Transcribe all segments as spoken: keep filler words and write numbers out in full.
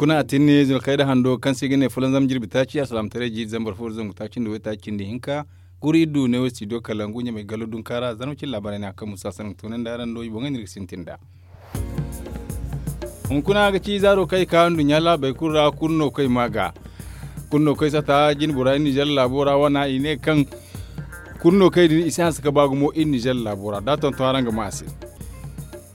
Kuna a tinni zunakayda hando kaŋ se i ga ne fulanzam jirbi taaci a salaamataray jiiri zambar fo da zangu taaci nda waytaaci cindi hinka. Kuri iddu ne wo studio kalangu ɲamay gallo dunkaara zarma cin laabaray ne a kaŋ musa sanang tunandi araŋ do i boŋey no iri ga sintin nd'a. Hunkuna ga ci zaaro kaŋ i ka nduɲɲa laabey kulu ra kulu no kaŋ i ma ga kulu no kaŋ i sata jinbora iri nizer laabo ra wana i ne kaŋ kulu no kaŋ i din i si hanse ga ba gumo iri nizer laabo ra da a tonton araŋ ga ma a se.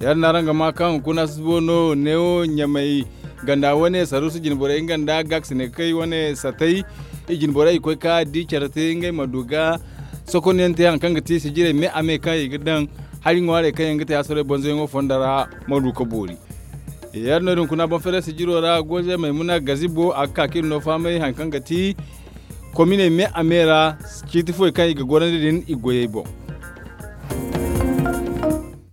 Ya- din no araŋ ga ma kaŋ hunkuna susubo no neewo ɲamay ganda wane saruusu jinborey nga nda gaaksine kay wane satay. I jinborey i koy ka di care te ngey ma du ga sokonyaŋ te hari kaŋ ga ti sijirey me a me kaŋ i ga daŋ hari ŋwaarey kaŋ yaŋ ga te hasarey banzoyaŋo fondo ra ma du ga boori. Ya- din no hunkuna boŋ feeray sijiro ra goze maymuna gazibo a ga ka ka iri no fahamay hari kaŋ ga ti kominey me a me ra ciiti foy kaŋ i ga gorandi din i goyey boŋ.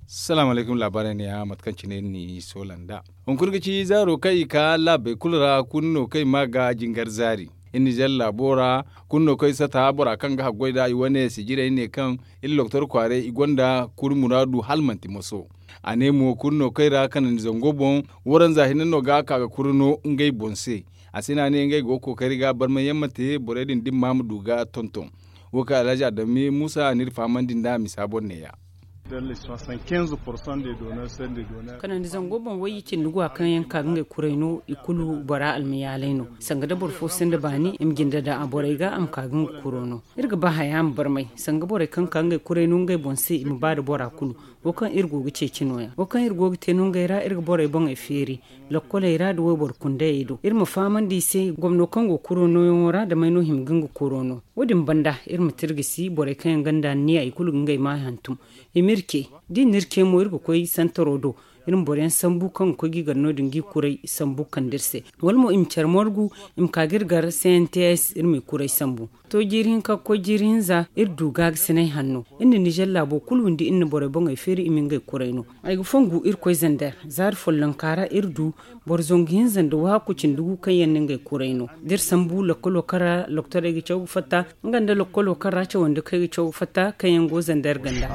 Salaamu alaykum laabaarey ne ya mate kaŋ cine iri n'i soola nd'a. Hunkuna ga ci zaaro kaŋ i ka laabey kulu ra kulu no kaŋ i ma ga jingar zaari iri nizer laabo ra. Kulu no kaŋ i sata bora kaŋ ga haggoy nd'a i wane sijirey ne kaŋ iri loktor kwaaray i gonda kuri muraadu hala manti moso. A ne mo kulu no kaŋ i ra kanandi zango boŋ waranza hinne no ga a ka ga kuri no ngey boŋ se. A se no a ne ngey go ga kookari ga barmayaŋ ma te borey din dimma ma du ga tonton. Wo kaŋ alhaji adami musa a n'iri fahamandi nd'a misa boŋ ne ya. Kanandi zango boŋ wayye cindi go a kaŋ yaŋ ka ga ngey kuray no i kulu bora almayaalay no. Sanga da boro fo sinda baani i ma jinde daŋ a borey ga a ma ka ga nga kuro no. Iri ga ba haya ma barmay sanga borey kaŋ ka ngey kuray no ngey boŋ se i ma ba da bora kulu. Wo kaŋ iri go ga ceeci no- ya wo kaŋ iri go ga te no ngey ra iri ga borey boŋey feeri lokkoley ra nda wayboro kundayey do iri ma fahamandi i se gomno kaŋ go kuro nooyaŋo ra da may no hima ga nga kuro no. Wo- din banda iri ma tirgisi borey kaŋ yaŋ gonda anniya i kulu ga ngey ma hantum. I ma iri ce da i na iri ce mo iri ga koy santaro do iri ma boro yaŋ sambu kaŋ ga koy ga i gar no- din ga i kuray sambu kande iri se. Wala mo i ma care margu i ma ka ga iri gar cnts iri ma i kuray sambu. To jiiri hinka ga koy jiiri hinza iri du gaagasinay hanno iri na nizer laabo kulu windi iri na borey boŋey feeri i ma ngey kuray no. Ay ga fongu iri koy zander zaari follonka ra iri du boro zangu hinza nda waaku cindi gu kaŋ yaŋ na ngey kuray no da iri sambu lokkolo kaŋ ra loktorey ga caw ga fatta nga nda lokkolo kaŋ ra cawandi kaŋ ay ga caw ga fatta kaŋ yaŋ go zander ganda.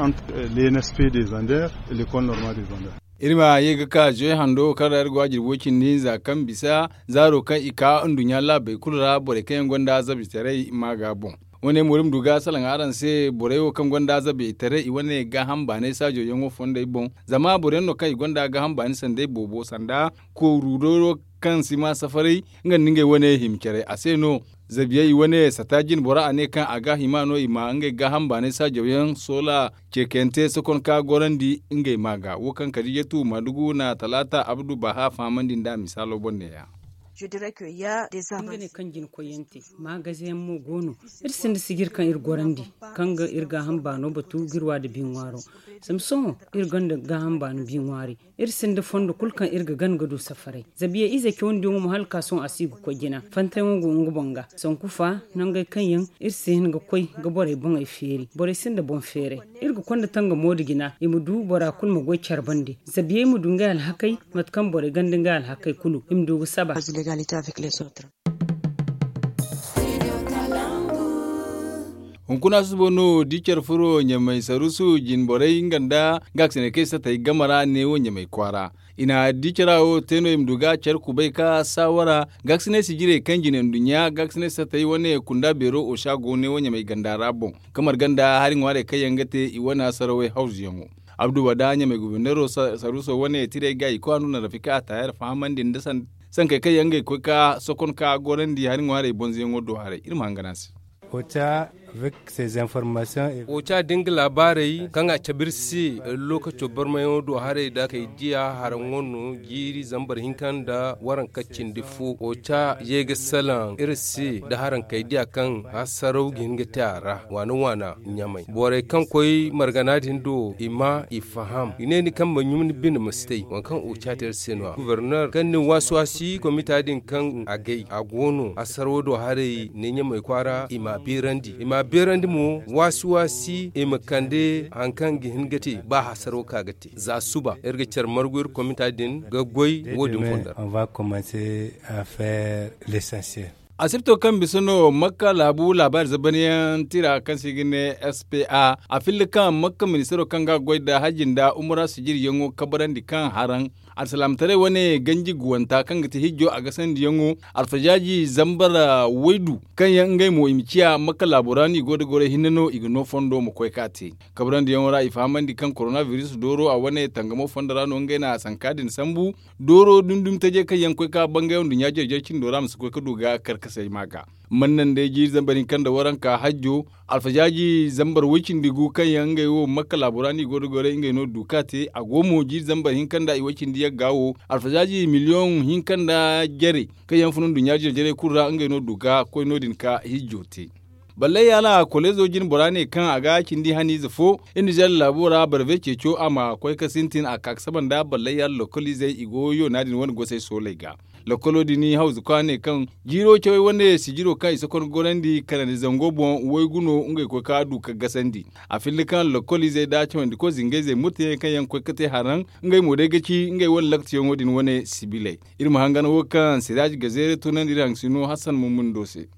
Iri ma ye ga ka zoy hando kaŋ ra iri go a jirbi way cindi hinza kaŋ bisa zaaro kaŋ i ka nduɲɲa laabey kulu ra borey kaŋ yaŋ gonda zabitaray ma ga boŋ. Wane mo iri ma du ga salaŋ araŋ se borey wo kaŋ gonda zabitaray i wane gaaham baanay saajo yaŋo fondey boŋ. Zama boro yaŋ no kaŋ i gonda gaaham baani sanday boobo sanda kooru dooro kaŋ si ma safaray nga nda ngey wane hima care a se no. Zabiyey i wane sata jine bora a ne kaŋ a ga hima no i ma ngey gaaham baanay saajaw yaŋ soola ceekayante sokon ka gorandi ngey ma ga wo kaŋ kadiijatu maadugu na talaata abdu baha fahamandi nd'a misaalo boŋ ne ya. Nga ne kaŋ jina koyyaŋ te maagaze yaŋ mo go no. Iri sinda sijir kaŋ iri gorandi kaŋ ga iri gaaham baano batu ga iri wa nda bi ŋwaaro. Samsoŋo iri gonda gaaham baano bi ŋwaari. Iri sinda fondo kulu kaŋ iri ga gana ga du safaray zabiya ize cawandi yaŋo mo hala ka sohõ a si ga koy jina fantay yaŋo go nga boŋ ga sanku fa nangey kaŋ yaŋ iri si hin ga koy ga borey boŋey feeri borey sinda boŋ feeray. Iri ga konda tangamo nda jina i ma du bora kulu ma goy care bande zabiyey ma du ngey alhakey mate kaŋ borey ganda ngey alhakey kulu i ma du ga saba. Hunkuna susubo no di care furo ɲamay sarusu jinborey nga nda gaakasinay kaŋ i satay game ra neewo ɲamay kwaara. I na di cara wo te no i ma du ga care kubay ka saawara gaakasinay sijirey kaŋ jine nduɲɲa gaakasinay satay wane kunda beero osa go neewo ɲamay ganda ra boŋ. Kamar ganda hari ŋwaarey kaŋ yaŋ ga te i wane asarawey hawzuyaŋo. Abdu wada ɲamay gubernero saruso wane tirey ga i kwaanu na rafika a taayar fahamandi nda sankey kaŋ yaŋ ga i koy ka sokon ka gorandi hari ŋwaarey bonzoyaŋo do haray iri ma hangan a se. Oca da nga laabaarey kaŋ a cabe iri se lokaco barmayaŋo do haray da kay diya haraŋo no jiiri zambar hinka nda waranka cindi fo oca ye ga salaŋ iri se nda haraŋ kay diya kaŋ hasaraw ga hin ga te a ra waana waana ɲamay borey kaŋ koy margana din do i ma i faham i ne ni kaŋ ma ɲum ni bine ma si tay waŋ kaŋ oca te iri se no- ya gubernor kaŋ ni waasi waasi komita din kaŋ a gay a go no hasaraw do haray ne ɲamay kwaara i ma a beerandi i ma a beerandi mo waasi waasi i ma kande hari kaŋ ga hin ga te ba hasaraw ka ga te za suba iri ga care margu iri komita din ga goy wo- din fondo ra. On va commencer à faire l'essentiel. Asibto kaŋ bisa no makka laabu laabaari zabanyaŋ tira kaŋ se i ga ne spa a filli kaŋ makka ministaro kaŋ ga a goy nda hajji nda umura sijiryaŋo kabarandi kaŋ haraŋ alsalaamataray wane ganji guwanta kaŋ ga ti hijjo a gasandiyaŋo alfajaaji zambar waydu kaŋ yaŋ ngey mo i ma ciya makka laabo ra no i go nda goray hinne no i ga no fondo ma koy ka te. Kabarandiyaŋo ra i fahamandi kaŋ korona biris dooro a wane tangamo fondo ra no ngey na a sanka din sambu. Dooro dumi dumi tajey kaŋ yaŋ koy ka bangay nduɲɲa jare jare cindo ra ma si koy ka du ga karkasay ma ga. Mannan day jiiri zambar hinka nda waranka hajjo alfajaaji zambar way-cindi gu kaŋ yaŋ ngey wo makka laabo ra no i go nda goray ngey no du ka te a go mo jiiri zambar hinka nda i way-cindi yagga wo alfajaaji miliyoŋ hinka nda jare kaŋ yaŋ fun nduɲɲa jare jarey kulu ra ngey no du ga koy no- din ka hijjo te. Ballay yaala koleezo jine bora ne kaŋ a ga cindi haniize fo iri na zalla laabo ra barbe ceeco a ma koy ka sintin a ka ga saba nda ballay yaala lokoliizey i go yoona din wane gosey sooley ga. Lokolo din hawzu ka ne kaŋ jiiro cawey wane sijiro kaŋ i si konda gorandi kanandi zango boŋ waygu no ngey koy ka du ka gasandi. A filli kaŋ lokoliizey nda cawandiko zingayzey murtayaŋ kaŋ yaŋ koy ka te haraŋ ngey mo day ga ci ngey wane laktiyaŋo din wane sibiley. Iri ma hangan wo kaŋ siraaji gazeere tunandi iri haŋ sino hassan mummundo se.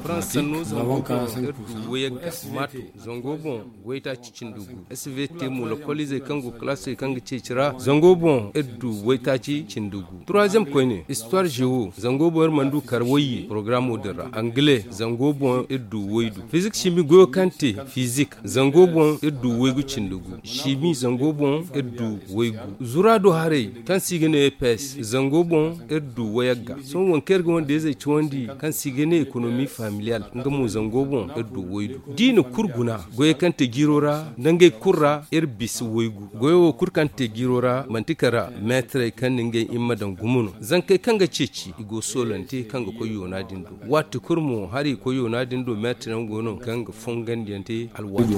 Farans sanno zango boŋ iri du wayagga maato zango boŋ waytaaci cindi gu. Svt mo lokoliizey kaŋ go kalaasey kaŋ ga ceeci ra zango boŋ iri du waytaaci cindi gu. Turaaziyam koyne istuwaar zewo zango boŋ iri mana du kar wayye porogaraamo din ra angile zango boŋ iri du waydu fizik simi goyo kaŋ te fizik zango boŋ iri du waygu cindi gu. Simi zango boŋ iri du waygu. Zuraado haray kaŋ se i ga ne epes zango boŋ iri du wayagga. Sohõ waŋ kaŋ iri ga wande-izey cawandi kaŋ se i ga ne ekonomi familiyal nga mo zango boŋ iri du waydu. Da i na kulu guna goyey kaŋ te jiiro ra nda ngey kulu ra iri bisa waygu. Goyo wo kulu kaŋ te jiiro ra manti kala meetarey kaŋ na ngey himma daŋ gumo no. Zankey kaŋ ga ceeci i go soolante kaŋ ga koy yoona din do. Waati kulu mo hari i koy yoona din do meetaryaŋ go no kaŋ ga fongandiyaŋ te alwaati.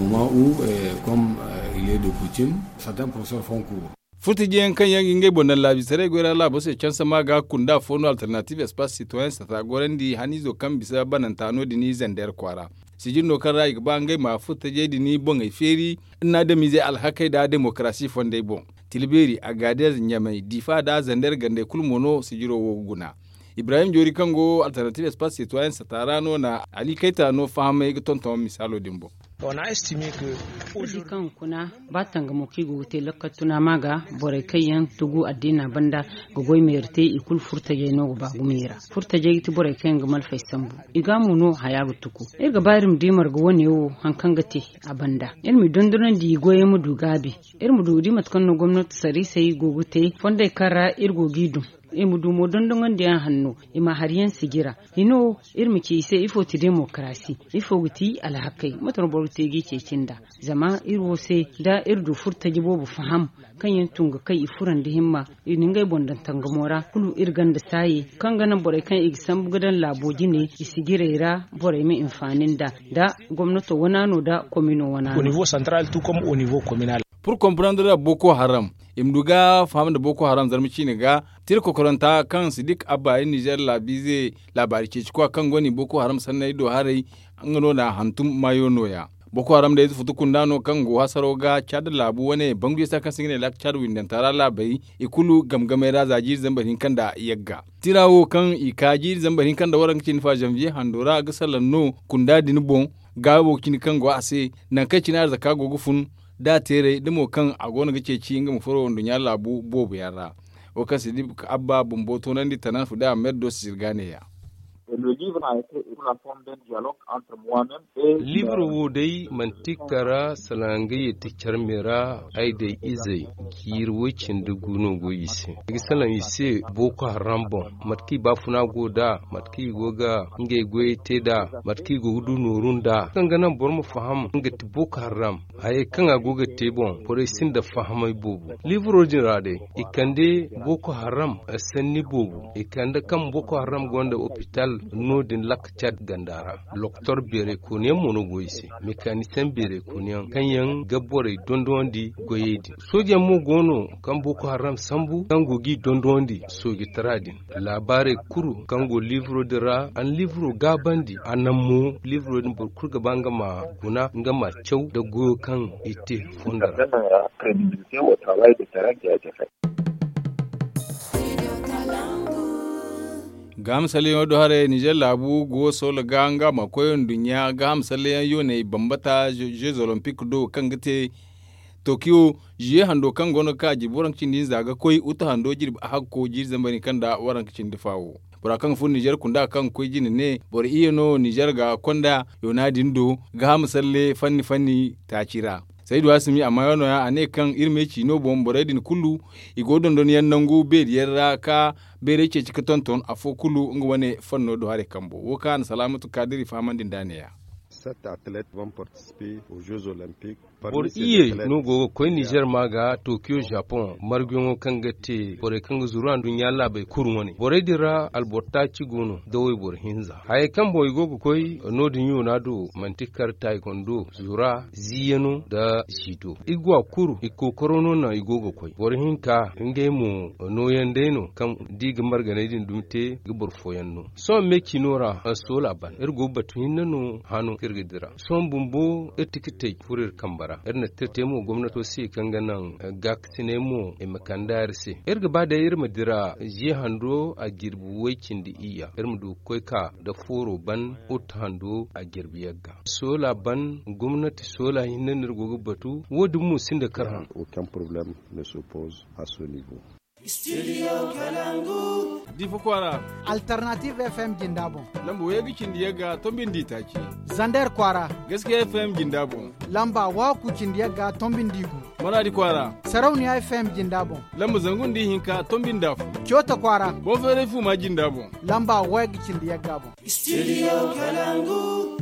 Furtajiyaŋ kaŋ yaŋ ga ngey boŋ daŋ laabisaray goy ra laabo se canse ma ga kunda fo no alternatiiv espace sitoyen sata gorandi haniizo kaŋ bisa bananta no- din zandeer kwaara. Sijir no kaŋ ra i ga ba ngey ma furtajey din boŋey feeri nda adamizey alhakey nda demokarasi fondey boŋ. Tilbeeri agadeez ɲamey difa nda zandeer gandey kulu mo no sijiro wo ga guna. Ibrahim joori kaŋ go alternatiiv espace sitoyen sata ra no na ali kayta no fahamay ga tonton misaalo din boŋ. Iri di kaŋ kuna ba tangamo kaŋ i go ga te lakkal tuna ma ga borey kaŋ yaŋ tugu addiina banda ga goy meeri te i kulu furtajey no ga ba gumo i ra. Furtajey ga ti borey kaŋ yaŋ ga malfey sambu i ga mo no haya ga tuku. Iri ga ba iri ma di marga wane wo hari kaŋ ga te a banda iri ma i dondonandi i goyey ma du gaabi. Iri ma du ga di mate kaŋ no gomnanti sariisey go ga te fondey kaŋ ra iri go ga i dum. I ma du mo dondoŋandiyaŋ hanno i ma hari yaŋ sijira. Hino iri ma ci i se ifo ti demokarasi? Ifo ga ti alhakey mate no boro ga te ga i ceeci nd'a? Zama iri wo se da iri du furtaji boobo faham kaŋ yaŋ tun ga kay i furandi himma i na ngey boŋ daŋ tangamo ra kulu iri ganda saaye kaŋ ga naŋ borey kaŋ i ga sambu ga daŋ laabo jine i sijirey ra borey ma hinfaani nd'a. Da gomnato wana no da komino wana no. Pur komprendre boko haram i ma du ga faham nda boko haram zarma ciine ga. Tira kokoranta kaŋ sidik abba iri nizer laabiize laabaari ceeci kwa kaŋ go no i boko haram sanney do haray. Nga no na hantum maayo nooya. Boko haram day ize futu kunda no kaŋ go hasaro ga caada laabu wane bangu yasa kaŋ se nga ne laaka caada windanta ra laabey i kulu game gamey ra za jiiri zambar hinka nda yagga. Tira wo kaŋ i ka jiiri zambar hinka nda waranka cindi fa zanviye hando ra ga salaŋ no kunda din boŋ. Gaawo cine kaŋ go a se nangu kaŋ cine arzaka go ga fun da teeray da mo kaŋ a go no ga ceeci nga ma furo nduɲɲa laabu boobo yaŋ ra. Wo kaŋ se di abba bumbo toonandi tanan fu da amer do si zirga neeya. Liibiro wo day manti kara salaŋ nga ye ti care me ra. Ay day izey jiiri woy-cindi gu no go i se. Ay ga salaŋ i se boko haram boŋ mate kaŋ i baafuna go nd'a mate kaŋ i go ga ngey goyey te nd'a mate kaŋ i go ga du nooru nd'a kaŋ ga naŋ boro ma faham nga ti boko haram. Hayey kaŋ a go ga te boŋ borey sinda fahamay boobo. Liibiro din ra day i kande boko haram sanni boobo i kande kaŋ boko haram gonda opital no- din lakka cad ganda ra. Lokotor beeray kooniyaŋ mo no go i se. Mekaanisiyaŋ beeray kooniyaŋ kaŋ yaŋ ga borey dondonandi goyey din. Soojeyaŋ mo go no kaŋ boko haram sambu kaŋ go g'i dondonandi soojatara din. Laabaarey kulu kaŋ go liibiro din ra a na liibiro gaabandi a naŋ mo liibiro din boro kulu ga ba nga ma guna nga ma caw nda goyo kaŋ i te fondo ra. Gaaham salleyaŋo do haray nizer laabu go soola ga nga ma koy nduɲɲa gaaham salleyaŋ yooney bambata jeux olympique do kaŋ ga te tokiyo ziye hando kaŋ go no ga ka a jirbi waranka cindi hinza ga koy uta hando jirbi ahakko jiiri zambar hinka nda waranka cindi faawo. Bora kaŋ ga furo nizer kunda kaŋ ga koy jine ne boro iyye no nizer ga konda yoona din do gaaham salle fanni fanni taaci ra. Saydu hasumi amma yaŋ no- ya a ne kaŋ iri ma ay ci no boŋ borey din kulu i go dondonyaŋ nangu beeri yaŋ ra ka bayray ceeci ga tonton afo kulu nga wane fanno do haray kambo wo kaŋ a na salaamatu kaadiri fahamandi nda a ne- ya. Boro iyye no go ga koy nizer ma ga tokiyo japon marguyaŋo kaŋ ga te borey kaŋ ga zuru anduɲɲa laabey kulu wane borey din ra alboro taaci go no da wayboro hinza hayey kaŋ boŋ i go ga koy no- din yoona do manti kar taayi kondo zura ziiyano nda ziido i ga wa kulu i kookaro no naŋ i go ga koy boro hinka ngey mo nooyaŋ day no kaŋ da i ga marganay din dumi te ga boro fooyaŋ no sohõ me ciino ra soola ban iri go ga batu hinne no hano kaŋ iri ga dira sohõ bumbo iri tikitey furo iri kambe ra iri na tirte mo gomnato se kaŋ ga naŋ gaakasiney mo i ma kande a iri se iri ga ba day iri ma dira ziya hando a jirbi way cindi iyya iri ma du ga koy ka nda fooro ban uta hando a jirbi yagga soola ban gomnati soola hinne no iri go ga batu wo- din mo sinda kar hano. Difa kwaara. Alternative f m jinda boŋ. Lamba way ga cindi yagga tombindi taaci. Zander kwaara. Gaskiya f m jinda boŋ. Lamba waaku cindi yagga tombindi gu. Maraadi kwaara. Sarauniya f m jinda boŋ. Lamba zangu nda ihinka tombindi afo. Coota kwaara. Boŋ feeray fuuma jinda boŋ. Lamba way ga cindi yagga boŋ. Studio kalangu.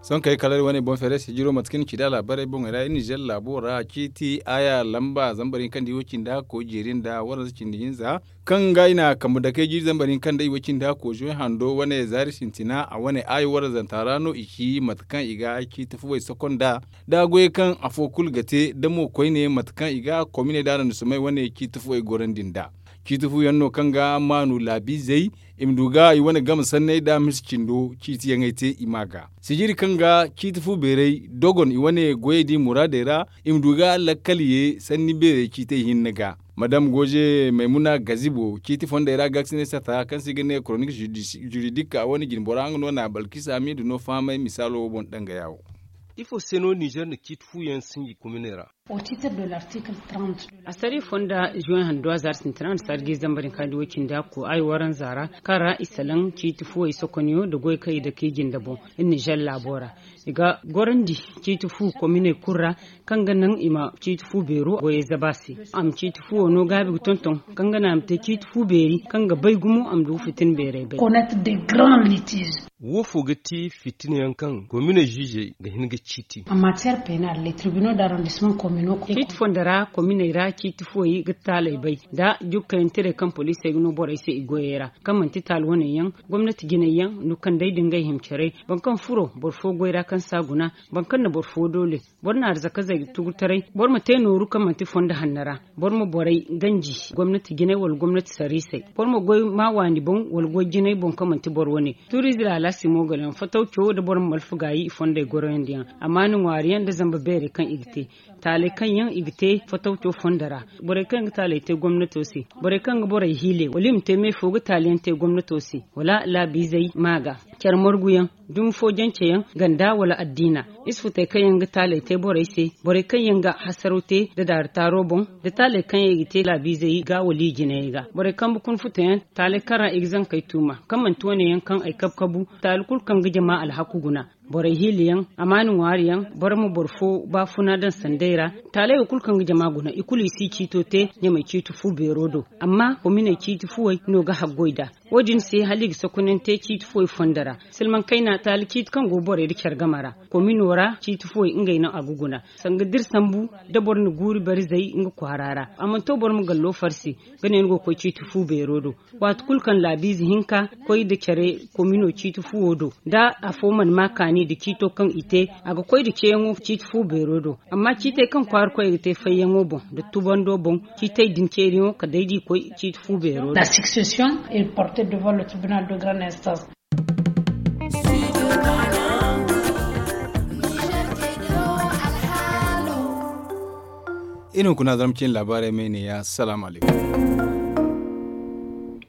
Sohõ kay kala iri wane boŋ feeray sijiro mate kaŋ ni ci da laabaarey boŋey ra iri nizer laabo ra ciiti aaya lamba zambar hinka nda iwo cindi hakko jeeri nda waranza cindi hinza kaŋ ga i na kambe dakey jiiri zambar hinka nda iwo cindi hakko zoy hando wane zaari sintina a wane aayo waranzanta ra no i ci mate kaŋ i ga ciiti fuwey soko nda da goyey kaŋ afo kulu ga te da mo koyne mate kaŋ i ga kominey da arondisomey wane ciiti fuwey gorandi nda ciiti fu yaŋ no kaŋ ga maanu laabiizey i ma du ga i wane game sanney da misi cindo ciiti yaŋey te i ma ga sijiri kaŋ ga ciiti fu beeray dogon i wane goyey da i muraadey ra i ma du ga lakkal ye sanni beerey ciitey hinne ga madam goze maymuna gazibo ciiti fondey ra gaakasinay sata kaŋ se i ga ne koronik juridik a wane jinbora nga no na balkisa miidu no fahamay misaalo wo boŋ dangaya wo. Ifo se no nizer na ciiti fu yaŋ sinji kominey ra? Asariya fonda juwen handu a zaari sintina nda saari ga i zambar hinka nda way cindi hakko ay waranza ra kaŋ ra i salaŋ ciiti fuwey sokoniyo nda goy kaŋ i dake i jinde boŋ. Iri nizer laabo ra i ga gorandi ciiti fu kominey kulu ra kaŋ ga naŋ i ma ciiti fu beero goyey zaba se. A ma ciiti fuwo no gaabi ga tonton kaŋ ga naŋ a ma te ciiti fu beeri kaŋ ga bay gumo a ma du ga fitina beerey bay. Wo fo ga ti fitina yaŋ kaŋ komine ziizey ga hin ga ciiti. Ciiti fonda ra kominey ra ciiti fuwey ga taaley bay nda jukkayantirey kaŋ poliisey ga no borey se i goyey ra kaŋ manti taali waney yaŋ gomnati jinay yaŋ nukandey da ngey himcarey boro kaŋ furo boro fo goy ra kaŋ si a guna boro kaŋ na boro fo doole boro na arzakazey ga tugurtaray boro ma te nooru kaŋ manti fondo hanno ra. Boro ma borey ganji gomnati jinay wala gomnati sariisey boro ma goy ma waani boŋ wala goy jinay boŋ kaŋ manti boro wane. Turiize laalaasi mo gala yaŋ fatawco nda boro ma malfa gaayi i fondey goroyandi yaŋ. Amaana ŋwaari yaŋ nda zamba beerey kaŋ i ga te taaley kaŋ yaŋ i ga te fatawco fondo ra. Borey kaŋ yaŋ ga taaley te gomnato se borey kaŋ ga borey hiile wala i ma te me fo ga taali yaŋ te gomnato se wala laabiizey ma ga care margu yaŋ dumi fo jance yaŋ ganda wala addiina. Isfutey kaŋ yaŋ ga taaley te borey se borey kaŋ yaŋ ga hasaraw te nda daari taaro boŋ nda taaley kaŋ yaŋ i ga te laabiizey ga wala i jinayey ga borey kambe kuna futa yaŋ taaley kaŋ ra i ga zankey tuuma kaŋ manti wane yaŋ kaŋ ay kabu-kabu taali kulu kaŋ ga jama alhaku guna. Borey hiila yaŋ amaana ŋwaari yaŋ boro ma boro fo baafuna daŋ sanday ra. Taaley wo kulu kaŋ ga jama guna i kulu i si ciito te ɲamey ciiti fu beero do. Amma kominey ciiti fuwey no ga haggoy nd'a. Wo- din se hala i ga sokonante ciiti fuwey fondo ra. Silmaŋ kayna taali ciiti kaŋ go borey nda care game ra komino ra ciiti fuwey ngey no a ga guna. Sanga da iri sambu nda boro na guuri barizey nga kwaara ra a mana to boro ma gallo farsi ga ne ni go ga koy ciiti fu beero do. Waati kulu kaŋ laabiize hinka koy nda care komino ciiti fuwo do nda afo mana ma kaani nda ciito kaŋ i te a ga koy nda ceeyaŋo ciiti fu beero do. Amma ciitey kaŋ kwaara koy ga te fayyaŋo boŋ nda tubando boŋ ciitey din ceeriyaŋo kala day da i koy ciiti fu beero do. La succession est portée devant le tribunal de grande instance. Iri hunkuna zarma ciine laabaarey ma ay ne ya salaamu alaykum.